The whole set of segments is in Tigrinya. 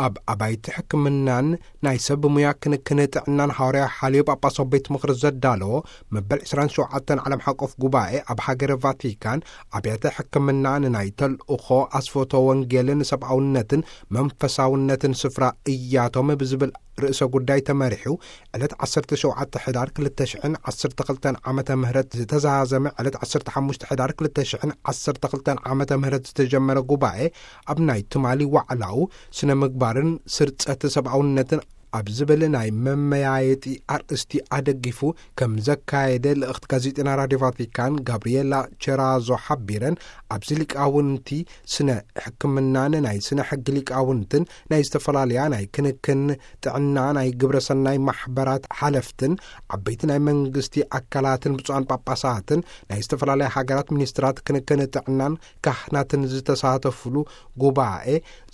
ኣብ ኣባይቲ ሕክምናን ናይ ሰብ ሙያ ክንክን ጥዕናን ሃዋርያ ሓልዮ ጳጳሳዊ ቤት ምኽሪ ዘዳለዎ መበል ዕስራን ሸውዓተን ዓለም ሓቆፍ ጉባኤ ኣብ ሃገረ ቫቲካን ኣብያተ ሕክምና ንናይ ተልእኾ ኣስፈቶ ወንጌልን ሰብኣውነትን መንፈሳውነትን ስፍራ እያቶም ብዝብል ርእሰ ጉዳይ ተመሪሑ ዕለት ዓሰርተ ሸውዓተ ሕዳር ክልተ ሽሕን ዓሰርተ ክልተን ዓመተ ምህረት ዝተዛዘመ ዕለት ዓሰርተ ሓሙሽተ ሕዳር ክልተ ሽሕን ዓሰርተ ክልተን ዓመተ ምህረት ዝተጀመረ ጉባኤ ኣብ ናይ ትማሊ ዋዕላኡ ስነ ምግባርን ስርጸት ሰብኣውነትን ኣብ ዝብል ናይ መመያየጢ ኣርእስቲ ኣደጊፉ ከም ዘካየደ ልእኽቲ ጋዜጠና ራድዮ ቫቲካን ጋብሪኤላ ቸራዞ ሓቢረን፣ ኣብዚ ሊቃውንቲ ስነ ሕክምናን ናይ ስነ ሕጊ ሊቃውንትን ናይ ዝተፈላለያ ናይ ክንክን ጥዕና ናይ ግብረ ሰናይ ማሕበራት ሓለፍትን ዓበይቲ ናይ መንግስቲ ኣካላትን ብፁዓን ጳጳሳትን ናይ ዝተፈላለያ ሃገራት ሚኒስትራት ክንክን ጥዕናን ካህናትን ዝተሳተፉሉ ጉባኤ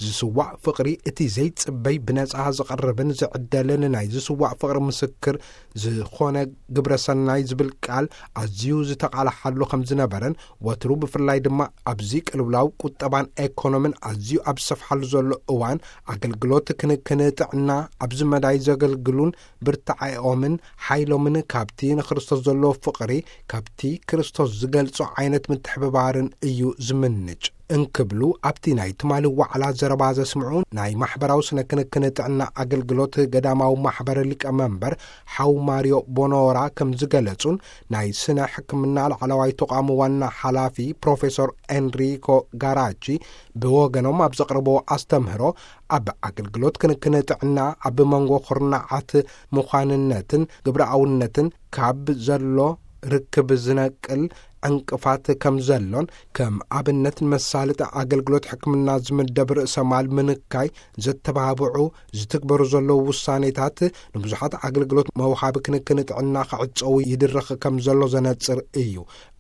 ዝስዋዕ ፍቕሪ እቲ ዘይጽበይ ብነጻ ዝቐርብን ዝዕደልን ናይ ዝስዋዕ ፍቕሪ ምስክር ዝኾነ ግብረ ሰናይ ዝብል ቃል ኣዝዩ ዝተቓልሓሉ ከም ዝነበረን ወትሩ ብፍላይ ድማ ኣብዚ ቅልውላው ቁጠባን ኤኮኖምን ኣዝዩ ኣብ ዝሰፍሓሉ ዘሎ እዋን ኣገልግሎት ክንክን ጥዕና ኣብዚ መዳይ ዘገልግሉን ብርታዐኦምን ሓይሎምን ካብቲ ንክርስቶስ ዘለዎ ፍቕሪ ካብቲ ክርስቶስ ዝገልጾ ዓይነት ምትሕብባርን እዩ ዝምንጭ እንክብሉ ኣብቲ ናይ ትማሊ ዋዕላ ዘረባ ዘስምዑ ናይ ማሕበራዊ ስነ ክንክን ጥዕና ኣገልግሎት ገዳማዊ ማሕበር ሊቀመንበር ሓው ማሪዮ ቦኖራ ከም ዝገለጹን ናይ ስነ ሕክምና ላዕለዋይ ተቋም ዋና ሓላፊ ፕሮፌሰር ኤንሪኮ ጋራቺ ብወገኖም ኣብ ዘቕርብዎ ኣስተምህሮ ኣብ ኣገልግሎት ክንክን ጥዕና ኣብ መንጎ ኩርናዓት ምዃንነትን ግብረኣውነትን ካብ ዘሎ ርክብ ዝነቅል ዕንቅፋት ከም ዘሎን ከም ኣብነት ንመሳለጢ ኣገልግሎት ሕክምና ዝምደብ ርእሰ ማል ምንካይ ዘተባብዑ ዝትግበሩ ዘለዉ ውሳኔታት ንብዙሓት ኣገልግሎት መውሃቢ ክንክን ጥዕና ክዕጸዉ ይድርኽ ከም ዘሎ ዘነጽር እዩ።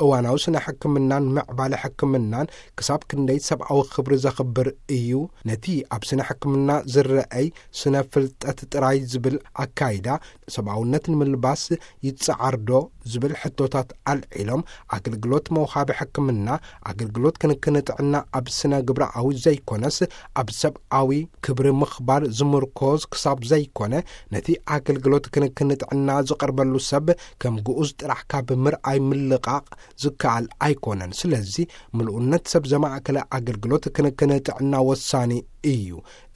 እዋናዊ ስነ ሕክምናን ምዕባለ ሕክምናን ክሳብ ክንደይ ሰብኣዊ ክብሪ ዘኽብር እዩ። ነቲ ኣብ ስነ ሕክምና ዝረኣይ ስነ ፍልጠት ጥራይ ዝብል ኣካይዳ ሰብኣውነት ንምልባስ ይጸዓርዶ ዝብል ሕቶታት ኣልዒሎም ኣገልግሎት መውሃቢ ሕክምና ኣገልግሎት ክንክን ጥዕና ኣብ ስነ ግብረኣዊ ዘይኮነስ ኣብ ሰብኣዊ ክብሪ ምኽባር ዝምርኮዝ ክሳብ ዘይኮነ ነቲ ኣገልግሎት ክንክን ጥዕና ዝቐርበሉ ሰብ ከም ግኡዝ ጥራሕ ካብ ምርኣይ ምልቓቕ ዝከኣል ኣይኮነን። ስለዚ ምልኡነት ሰብ ዘማእከለ ኣገልግሎት ክንክን ጥዕና ወሳኒ እዩ።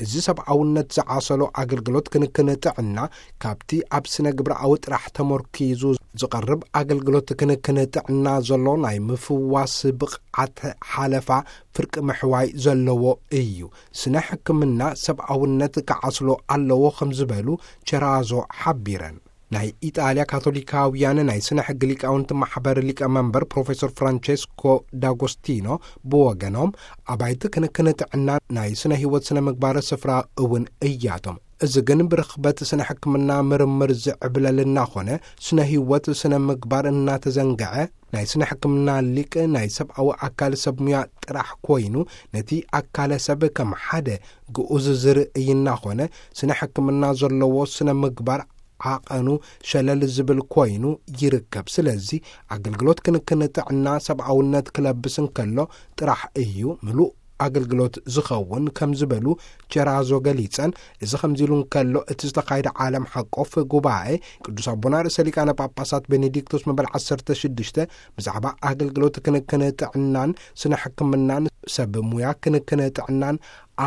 እዚ ሰብኣውነት ዝዓሰሎ ኣገልግሎት ክንክን ጥዕና ካብቲ ኣብ ስነ ግብረኣዊ ጥራሕ ተመርኪዙ ዝቐርብ ኣገልግሎት ክንክን ጥዕና ዘሎ ናይ ምፍዋስ ብቕዓት ሓለፋ ፍርቂ ምሕዋይ ዘለዎ እዩ። ስነ ሕክምና ሰብኣውነት ክዓስሎ ኣለዎ ከም ዝበሉ ቸራዞ ሓቢረን። ናይ ኢጣልያ ካቶሊካውያን ናይ ስነ ሕጊ ሊቃውንቲ ማሕበር ሊቀ መንበር ፕሮፌሰር ፍራንቸስኮ ዳጎስቲኖ ብወገኖም ኣባይቲ ክንክን ጥዕና ናይ ስነ ህይወት ስነ ምግባር ስፍራ እውን እያቶም። እዚ ግን ብርኽበት ስነ ሕክምና ምርምር ዝዕብለል እናኾነ ስነ ህይወት ስነ ምግባር እናተዘንግዐ ናይ ስነ ሕክምና ሊቅ ናይ ሰብኣዊ ኣካል ሰብ ሙያ ጥራሕ ኮይኑ ነቲ ኣካለ ሰብ ከም ሓደ ግኡዝ ዝርእይ እናኾነ ስነ ሕክምና ዘለዎ ስነ ምግባር ዓቐኑ ሸለል ዝብል ኮይኑ ይርከብ። ስለዚ ኣገልግሎት ክንክን ጥዕና ሰብኣውነት ክለብስ እንከሎ ጥራሕ እዩ ምሉእ ኣገልግሎት ዝኸውን ከም ዝበሉ ቸራዞ ገሊጸን፣ እዚ ከምዚ ኢሉ እንከሎ እቲ ዝተኻየደ ዓለም ሓቆፍ ጉባኤ ቅዱስ ኣቦና ርእሰ ሊቃነ ጳጳሳት ቤኔዲክቶስ መበል ዓሰርተ ሽዱሽተ ብዛዕባ ኣገልግሎት ክንክን ጥዕናን ስነ ሕክምናን ሰብ ሙያ ክንክን ጥዕናን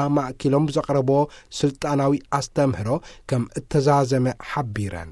ኣማእኪሎም ብዘቕረቦ ስልጣናዊ ኣስተምህሮ ከም እተዛዘመ ሓቢረን።